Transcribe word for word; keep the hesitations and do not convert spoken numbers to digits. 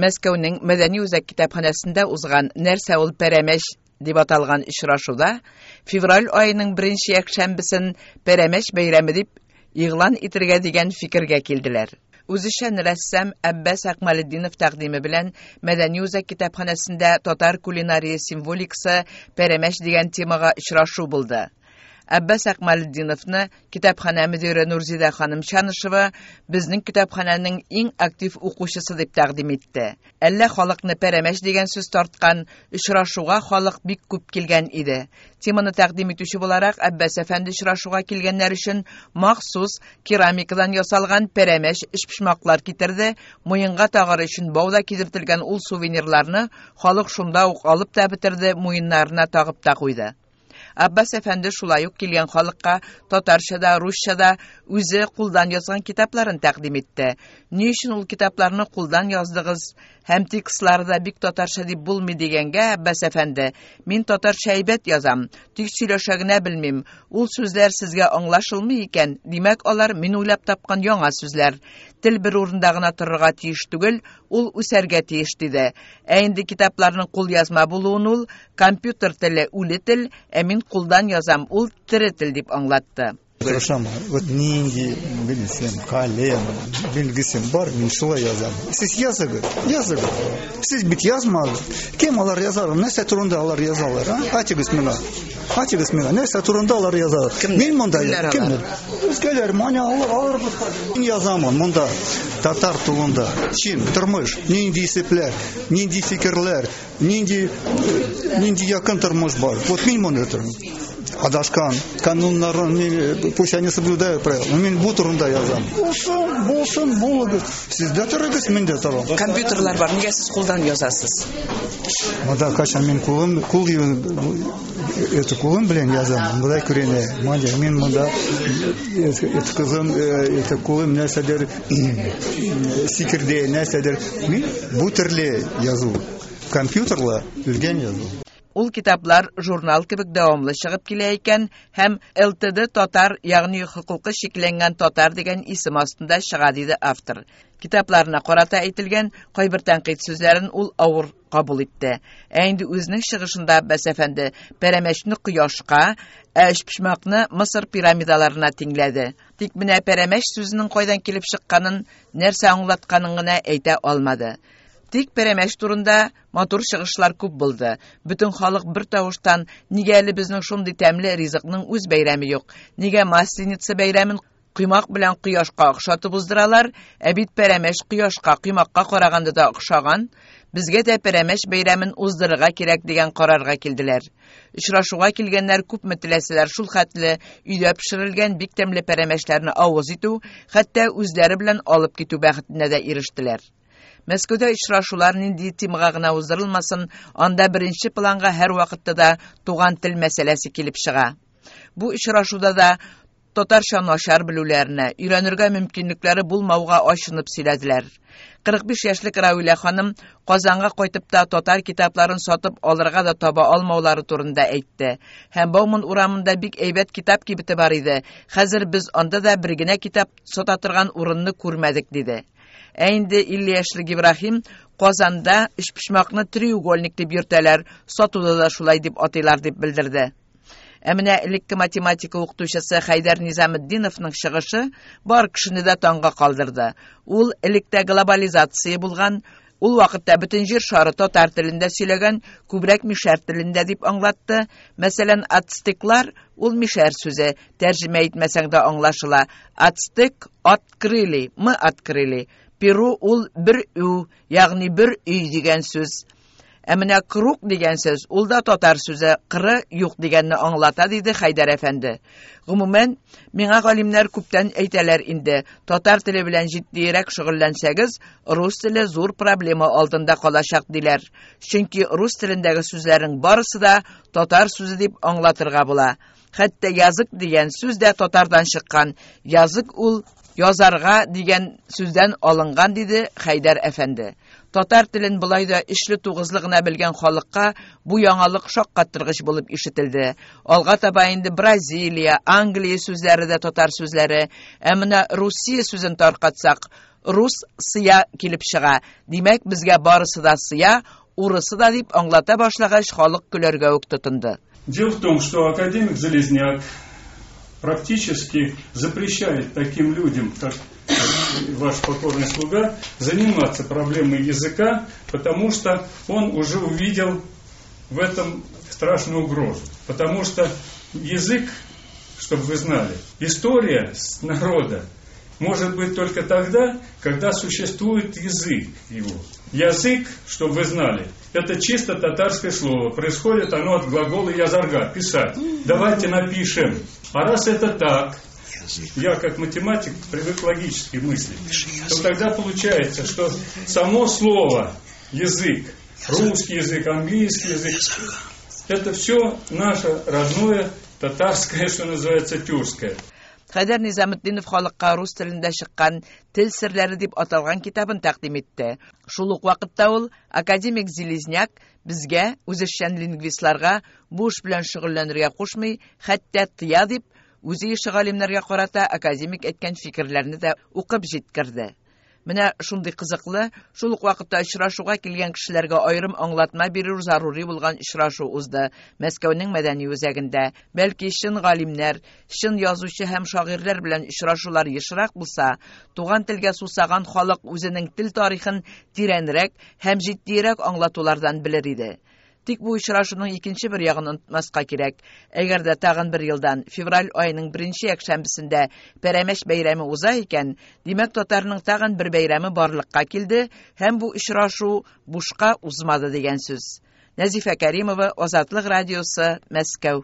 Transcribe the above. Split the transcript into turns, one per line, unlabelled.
Мәскәүнең Мәдәни үзәк китапханәсендә узган «Нәрсә ул пәрәмәч» дип аталган очрашуда февраль аеның беренче якшәмбесен пәрәмәч бәйрәме дип игълан итәргә дигән фикергә килделәр. Үзешчән рәссам Әббәс Әкмалетдинов тәкъдиме белән Мәдәни үзәк китапханәсендә татар кулинария символикасы пәрәмәч дигән темага очрашу булды. Әббәс Әкмалетдиновны китапханә мөдире Нурзидә ханым Чанышева безнең китапханәнең иң актив укучысы дип тәкъдим итте. Әллә халыкны пәрәмәч дигән сүз тарткан, очрашуга халык бик күп килгән иде. Теманы тәкъдим итүче буларак Әббәс әфәнде очрашуга килгәннәр өчен махсус керамикадан ясалган пәрәмәч өчпочмаклар китерде. Муенга тагар өчен бауда кидертелгән ул сувенирларны халык шунда ук алып та бетерде, муеннарына тагып та куйды. Аббас әфәнде шулай ук килгән халыкка татарча да, русча да үзе кулдан язган китапларын тәкъдим итте. Ни өчен ул китапларны кулдан яздыгыз һәм текстлары да бик татарча дип булмый дигәнгә Аббас әфәнде: "Мин татарча әйбәт язам, тик сөйләшә генә белмим. Ул сүзләр сезгә аңлашылмый икән, димәк, алар мин уйлап тапкан яңа сүзләр. Тел бер урында гына торырга тиеш түгел, ул үсәргә тиеш", диде. Ә инде китапларның кул язма булуын ул компьютер теле үле тел, ә мин кулдан язам, ул тере тел дип аңлатты.
Тырышам, вот нинди белсем, калем, билгесем бар, мин шулай язам. Сез языгыз, языгыз. Сез бит язмадыгыз. Кем алар язар? Нәрсә турында алар язалар, а? Әйтегез миңа. Әйтегез миңа, нәрсә турында алар язалар? Мин монда кемнәр? Үзгәләр, маня алар, алар мин язамын монда татар турында. Чин, тормыш, нинди исепләр, нинди фикерләр, нинди нинди якын тормыш бар. Вот мин монда торам. Адашкан, кануннарын, пусть они соблюдают правила. Но мин бу турында язам. Булсын, булсын, булыгыз. Сез дә торыгыз, мин дә торам.
Компьютерлар бар, нигә сез кулдан язасыз?
Монда качан мин кулым, кул это кулым белән язам. Монда күренә. Монда мин монда это кызым, это кулым нәрсәдер сикерде, нәрсәдер. Мин бу төрле язу. Компьютерла үлгән язу.
Ул китаплар журнал кебек дәвамлы чыгып килә икән һәм Л Т Д татар, ягъни хокукы чикләнгән татар дигән исем астында чыга, диде автор. Китапларына карата әйтелгән кайбер тәнкыйть сүзләрен ул авыр кабул итте. Ә инде үзенең чыгышында Аббас әфәнде пәрәмәчне кояшка, ә өчпочмакны Мисыр пирамидаларына тиңләде. Тик менә пәрәмәч сүзенең кайдан килеп чыкканын, нәрсә аңлатканын гына әйтә алмады. Тик пәрәмәч турында матур чыгышлар күп булды. Бөтен халык бер тавыштан: "Нигә әле безнең шундый тәмле ризыкның үз бәйрәме юк? Нигә Масленица бәйрәмен коймак белән кояшка охшатып уздыралар? Ә бит пәрәмәч кояшка, коймакка караганда да охшаган. Безгә дә пәрәмәч бәйрәмен уздырырга кирәк", дигән карарга килделәр. Очрашуга килгәннәр күпме теләсәләр шул хәтле өйдә пешерелгән бик тәмле пәрәмәчләрне авыз итү, хәтта үзләре белән алып китү бәхетенә дә ирештеләр. Мәскәүдә очрашулар нинди темага гына уздырылмасын, анда беренче планга һәр вакытта да туган тел мәсьәләсе килеп чыга. Бу очрашуда да татарча начар белүләренә, өйрәнергә мөмкинлекләре булмауга ачынып сөйләделәр. Кырык биш яшьлек Равилә ханым Казанга кайтып та татар китапларын сатып алырга да таба алмаулары турында әйтте. Һәм Бауман урамында бик әйбәт китап кибете бар иде. Хәзер без анда да бер генә китап сата торган урынны күрмәдек, диде. Ә инде илле яшьлек Ибраһим Казанда өчпочмакны треугольник дип йөртәләр, сатуда да шулай дип атыйлар дип белдерде. Ә менә элекке математика укытучысы Хәйдәр Низаметдиновның чыгышы бар кешене дә таңга калдырды. Ул электә глобализация булган, ул вакытта бөтен җир шары татар телендә сөйләгән, күбрәк мишәр телендә дип аңлатты. Мәсәлән, ацтеклар ул мишәр сүзе, тәрҗемә итмәсәң дә аңлашыла. Ацтек открыли, мы открыли. Перу ул бер ю, ягъни бер өй дигән сүз. Ә менә круг дигән сүз, ул да татар сүзе, кыры юк дигәнне аңлата, диде Хәйдәр әфәнде. Гомумән, миңа галимнәр күптән әйтәләр инде, татар теле белән җитдиерәк шөгыльләнсәгез, рус теле зур проблема алдында калачак, диләр. Чөнки рус телендәге сүзләрнең барысы да татар сүзе дип аңлатырга була. Хәтта язык дигән сүз дә татардан чыккан. Язык ул язарга дигән сүздән алынган, диде Хәйдәр әфәнде. Татар телен болай да өчле-тугызлы гына белгән халыкка бу яңалык шаккаттыргыч булып ишетелде. Алга таба инде Бразилия, Англия сүзләре дә татар сүзләре. Ә менә Русия сүзен таркатсак, рус сыя килеп чыга. Димәк, безгә барысы да сыя, урысы да дип аңлата башлагач, халык көләргә үк тотынды.
Дело в том, что академик Железняк практически запрещает таким людям, как ваш покорный слуга, заниматься проблемой языка, потому что он уже увидел в этом страшную угрозу. Потому что язык, чтобы вы знали, история народа может быть только тогда, когда существует язык его. Язык, чтобы вы знали, это чисто татарское слово. Происходит оно от глагола язарга, писать. Давайте напишем. А раз это так, я как математик привык логически мыслить, то тогда получается, что само слово язык, русский язык, английский язык, это все наше родное татарское, что называется, тюркское.
Хәйдәр Низаметдинов халыкка рус телендә чыккан «Тел серләре» дип аталган китабын тәкъдим итте. Шул ук вакытта ул академик Железняк безгә, үзешчән лингвистларга бу эш белән шөгыльләнергә кушмый, хәтта тыя дип, үзе ише галимнәргә карата академик әйткән фикерләрне дә укып җиткерде. Менә шундый кызыклы, шул ук вакытта очрашуга килгән кешеләргә аерым аңлатма бирү зарури булган очрашу узды Мәскәүнең мәдәни үзәгендә. Бәлки чын галимнәр, чын язучы һәм шагыйрьләр белән очрашулар ешрак булса, туган телгә сусаган халык үзенең тел тарихын тирәнрәк һәм җитдирәк аңлатулардан белер иде. Тик бу очрашуның икенче бер ягын онытмаска кирәк. Әгәр дә тагын бер елдан февраль аеның беренче якшәмбесендә Пәрәмәч бәйрәме уза икән, димәк татарның тагын бер бәйрәме барлыкка килде һәм бу очрашу бушка узмады дигән сүз. Нәзифә Кәримова, Азатлык радиосы, Мәскәү.